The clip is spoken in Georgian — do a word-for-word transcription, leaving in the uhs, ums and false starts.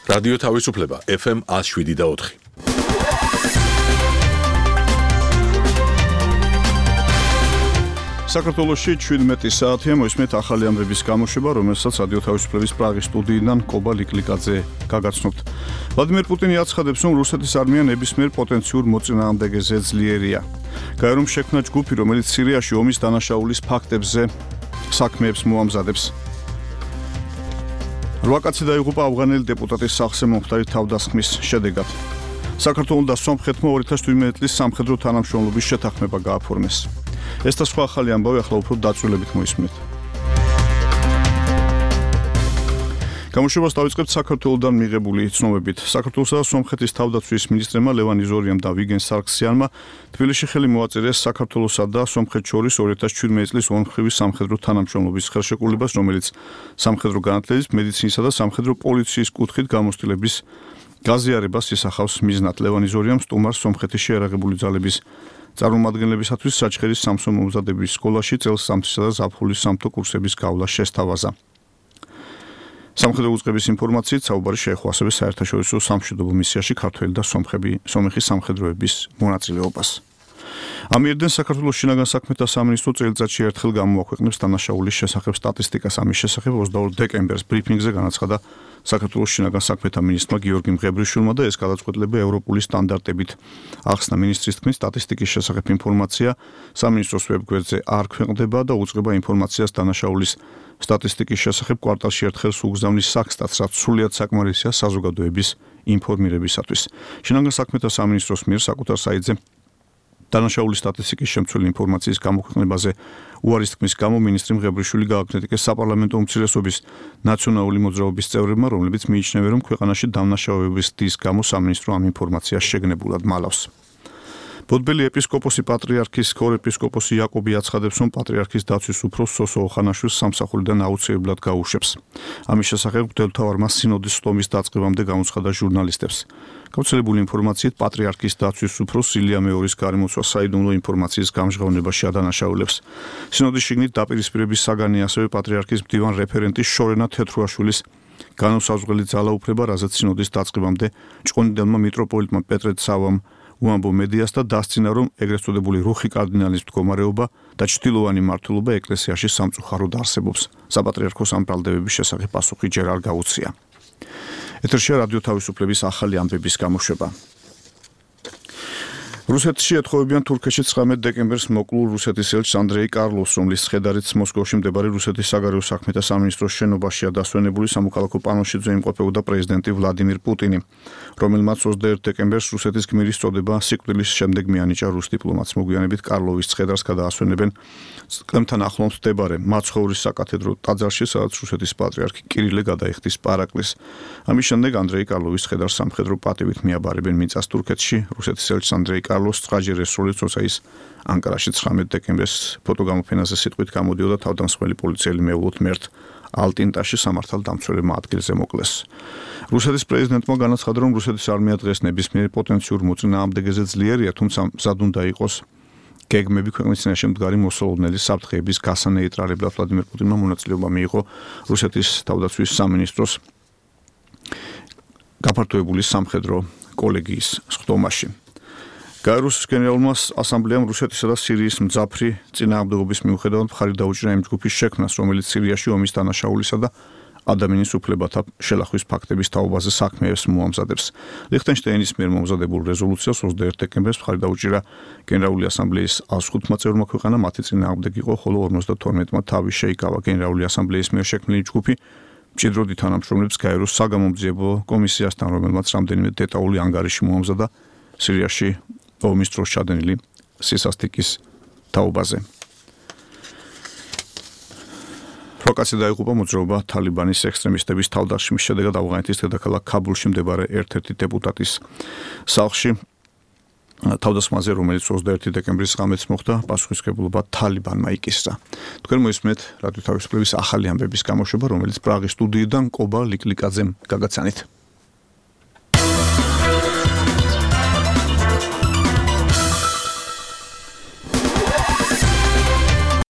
რადიო თავისუფლება ეფ ემ one oh seven და four. საქართველოში შვიდმეტი საათია მოისმენთ ახალი ამბების გამოშვება, რომელსაც რადიო თავისუფლების პრაღის სტუდიიდან კობა ლიკლიკაძე გაგაცნობთ. ვლადიმერ პუტინი აცხადებს, რომ რუსეთის არმია ნებისმიერ პოტენციურ მოწინააღმდეგეზე ძლიერია. გაერომ შექმნა ჯგუფი, რომელიც სირიაში ომის დანაშაულის ფაქტებზე საქმეებს მოამზადებს. რვა კაცი დაიღუპა ავღანელი დეპუტატის სახლზე მომხდარი თავდასხმის შედეგად. საქართველოს და სომხეთმა two thousand seventeen წლის სამხედრო თანამშრომლობის შეთანხმება გააფორმეს. ეს და სხვა ახალი ამბავი ახლა უფრო დაწვრილებით მოისმენთ. გამოშვებას დავიწყებთ საქართველოსდან მიღებული ცნობებით. საქართველოსა და სომხეთის თავდაცვის მინისტრებმა ლევან იზორიამ და ვიგენ სარქსიანმა თბილისში ხელი მოაწერეს საქართველოსა და სომხეთს შორის two thousand seventeen წლის ორმხრივი სამხედრო თანამშრომლობის ხელშეკრულებას, რომელიც სამხედრო განათლების, მედიცინისა და სამხედრო პოლიციის კუთხით გამოცდილების გაზიარებას ისახავს მიზნად. ლევან იზორიამ სტუმარს სომხეთის შეიარაღებული ძალების წარმომადგენლებისათვის საჩხერის სამსო მომზადების სკოლაში წელს სამთისა და ზაფხულის სამთო კურსების გავლა შესთავაზა. სამხედრო უწყების ინფორმაციით საუბარი შეეხო ასევე საერთაშორისო სამშვიდობო მისიაში ქართველი და სომხები სომეხის სამხედროების მონაწილეობას. ამიერიდან საქართველოს შინაგან საქმეთა სამინისტრო წელიწადში ერთხელ გამოაქვეყნებს დანაშაულის შესახებ სტატისტიკას. ამის შესახებ ოცდაორ დეკემბერს ბრიფინგზე განაცხადა საქართველოს შინაგან საქმეთა მინისტრმა გიორგი მღებრიშვილმა და ეს გადაწყვეტილება ევროპული სტანდარტებით ახსნა. მინისტრის თქმით, სტატისტიკის შესახებ ინფორმაცია სამინისტროს ვებგვერდზე არ ქვეყნდება და უწყება ინფორმაციას დანაშაულის სტატისტიკის შესახებ კვარტალში ერთხელ უგზავნის საქსტატს, რაც სრულიად საკმარისია საზოგადოების ინფორმირებისათვის. შინაგან საქმეთა სამინისტროს მიერ საკუთარ საიტზე დანაშაულის სტატისტიკის შემცველი ინფორმაციის გამოქვეყნებაზე უარის თქმის გამო მინისტრი მღებრიშვილი გააკრიტიკეს საპარლამენტო უმცირესობის ნაციონალური მოძრაობის წევრებმა, რომლებიც მიიჩნევენ, რომ ქვეყანაში დამნაშავეების დის გამო სამინისტრო ამ ინფორმაციას შეგნებულად მალავს. ბოდბელი ეპისკოპოსი პატრიარქის ქორეპისკოპოსი იაკობი აცხადებს, რომ პატრიარქის დაცვის უფროს სოსო ოხანაშვილს სამსახურიდან აუცილებლად გაუშვებს. ამის შესახებ მღვდელმთავარმა სინოდის სტომის დაწყებამდე გამოცხადა ჟურნალისტებს. გავრცელებული ინფორმაციით პატრიარქის დაცვის უფროს ილია მეორის გარემოცვა საიდუმლო ინფორმაციის გამჟღავნებაში ადანაშაულებს. სინოდის შიგნით დაპირისპირების საგანი ასევე პატრიარქის მდივან რეფერენტის შორენა თეთრუაშვილის განუსაზღვრელი ძალაუფლება, რაზეც სინოდის დაწყებამდე ჭყონდიდელმა მიტროპოლიტმა პეტრე ცავამ უამბო მედიას და დასცინა, რომ ეგრეთ წოდებული რუხი კარდინალის მდგომარეობა და ჩtildeოვანი მმართველობა ეკლესიაში სამწუხაროდ არსებობს. საპატრიარქოს ამ ბრალდებების შესახებ პასუხი ჯერ არ გაუწია. ეთერშია რადიო თავისუფლების ახალი ამბების გამოშვება. რუსეთში ეთხოვებიან თურქეთში ცხრამეტ დეკემბერს მოკლულ რუსეთის ელჩს ანდრეი კარლოვს, რომლის ცხედარით მოსკოვში მდებარე რუსეთის საგარეო საქმეთა სამინისტროს შენობაშია დასვენებული სამოქალაქო პანოშიძე იმყოფებოდა პრეზიდენტი ვლადიმირ პუტინი, რომელმაც ოცდაერთი დეკემბერს რუსეთის გმირის წოდება სიკვდილის შემდეგ მიანიჭა რუს დიპლომატს. მოგვიანებით კარლოვის ცხედარს გადაასვენებენ წლებთან ახლოს მდებარე მაცხოვრის საკათედრო ტაძარში, სადაც რუსეთის პატრიარქი კირილე გადაიხდის პარაკლის. ამის შემდეგ ანდრეი კარლოვის ცხედარს სამხედრო პატივით მიაბარებენ მიწას თურქეთში. რუსეთის ელჩს ანდრეი კარლოს წრაჯერ ესროლეს, როცა ის ანკარაში ცხრამეტ დეკემბერს ფოტოგამოფენაზე სიტყვით გამოდიოდა თავდამსხმელი პოლიციელი მეულოთ მერტ ალტინტაში სამართალ დამცველებმა ადგილზე მოკლეს. რუსეთის პრეზიდენტმა განაცხადა, რომ რუსეთის არმია დღეს ნებისმიერ პოტენციურ მოწინააღმდეგეზე ძლიერია, თუმცა მზად უნდა იყოს გეგმები ქვეყნის წინაშე მდგარი მოსალოდნელი საფრთხეების გასანეიტრალებლად. ვლადიმერ პუტინმა მონაწილეობა მიიღო რუსეთის თავდაცვის სამინისტროს გაფართოებული სამხედრო კოლეგიის სხდომაში. გაეროს გენერალურმა ასამბლეამ რუსეთისა და სირიის მძაფრი წინააღმდეგობის მიუხედავად მხარი დაუჭირა იმ ჯგუფის შექმნას, რომელიც სირიაში ომის დანაშაულისა და ადამიანის უფლებათა შელახვის ფაქტების თაობაზე საქმეებს მოამზადებს. ლიხტენშტაინის მიერ მომზადებულ რეზოლუციას ოცდაერთი დეკემბერს მხარი დაუჭირა გენერალური ასამბლეის one hundred five წევრმა ქვეყანა, მათი წინააღმდეგი იყო, ხოლო ორმოცდათორმეტმა თავი შეიკავა. გენერალური ასამბლეის მიერ შექმნილი ჯგუფი მჭიდროდ ითანამშრომლებს გაეროს საგამომძიებო კომისიასთან, რომელმაც რამდენიმე დეტალური ანგარიში მოამზადა სირიაში ომის დროს ჩადენილი სისასტიკის თაობაზე. რვა კაცი დაიღუპა მოძრაობა თალიბანის ექსტრემისტების თავდასხმის შედეგად ავღანეთის დედაქალაქ ქაბულში მდებარე ერთ-ერთი დეპუტატის სახლში. თავდასხმაზე, რომელიც ოცდაერთი დეკემბრის ღამეს მოხდა, პასუხისმგებლობა თალიბანმა იკისრა. თქვენ მოისმენთ რადიო თავისუფლების ახალი ამბების გამოშვება, რომელიც პრაღის სტუდიიდან კობა ლიკლიკაძემ გაგაცანით.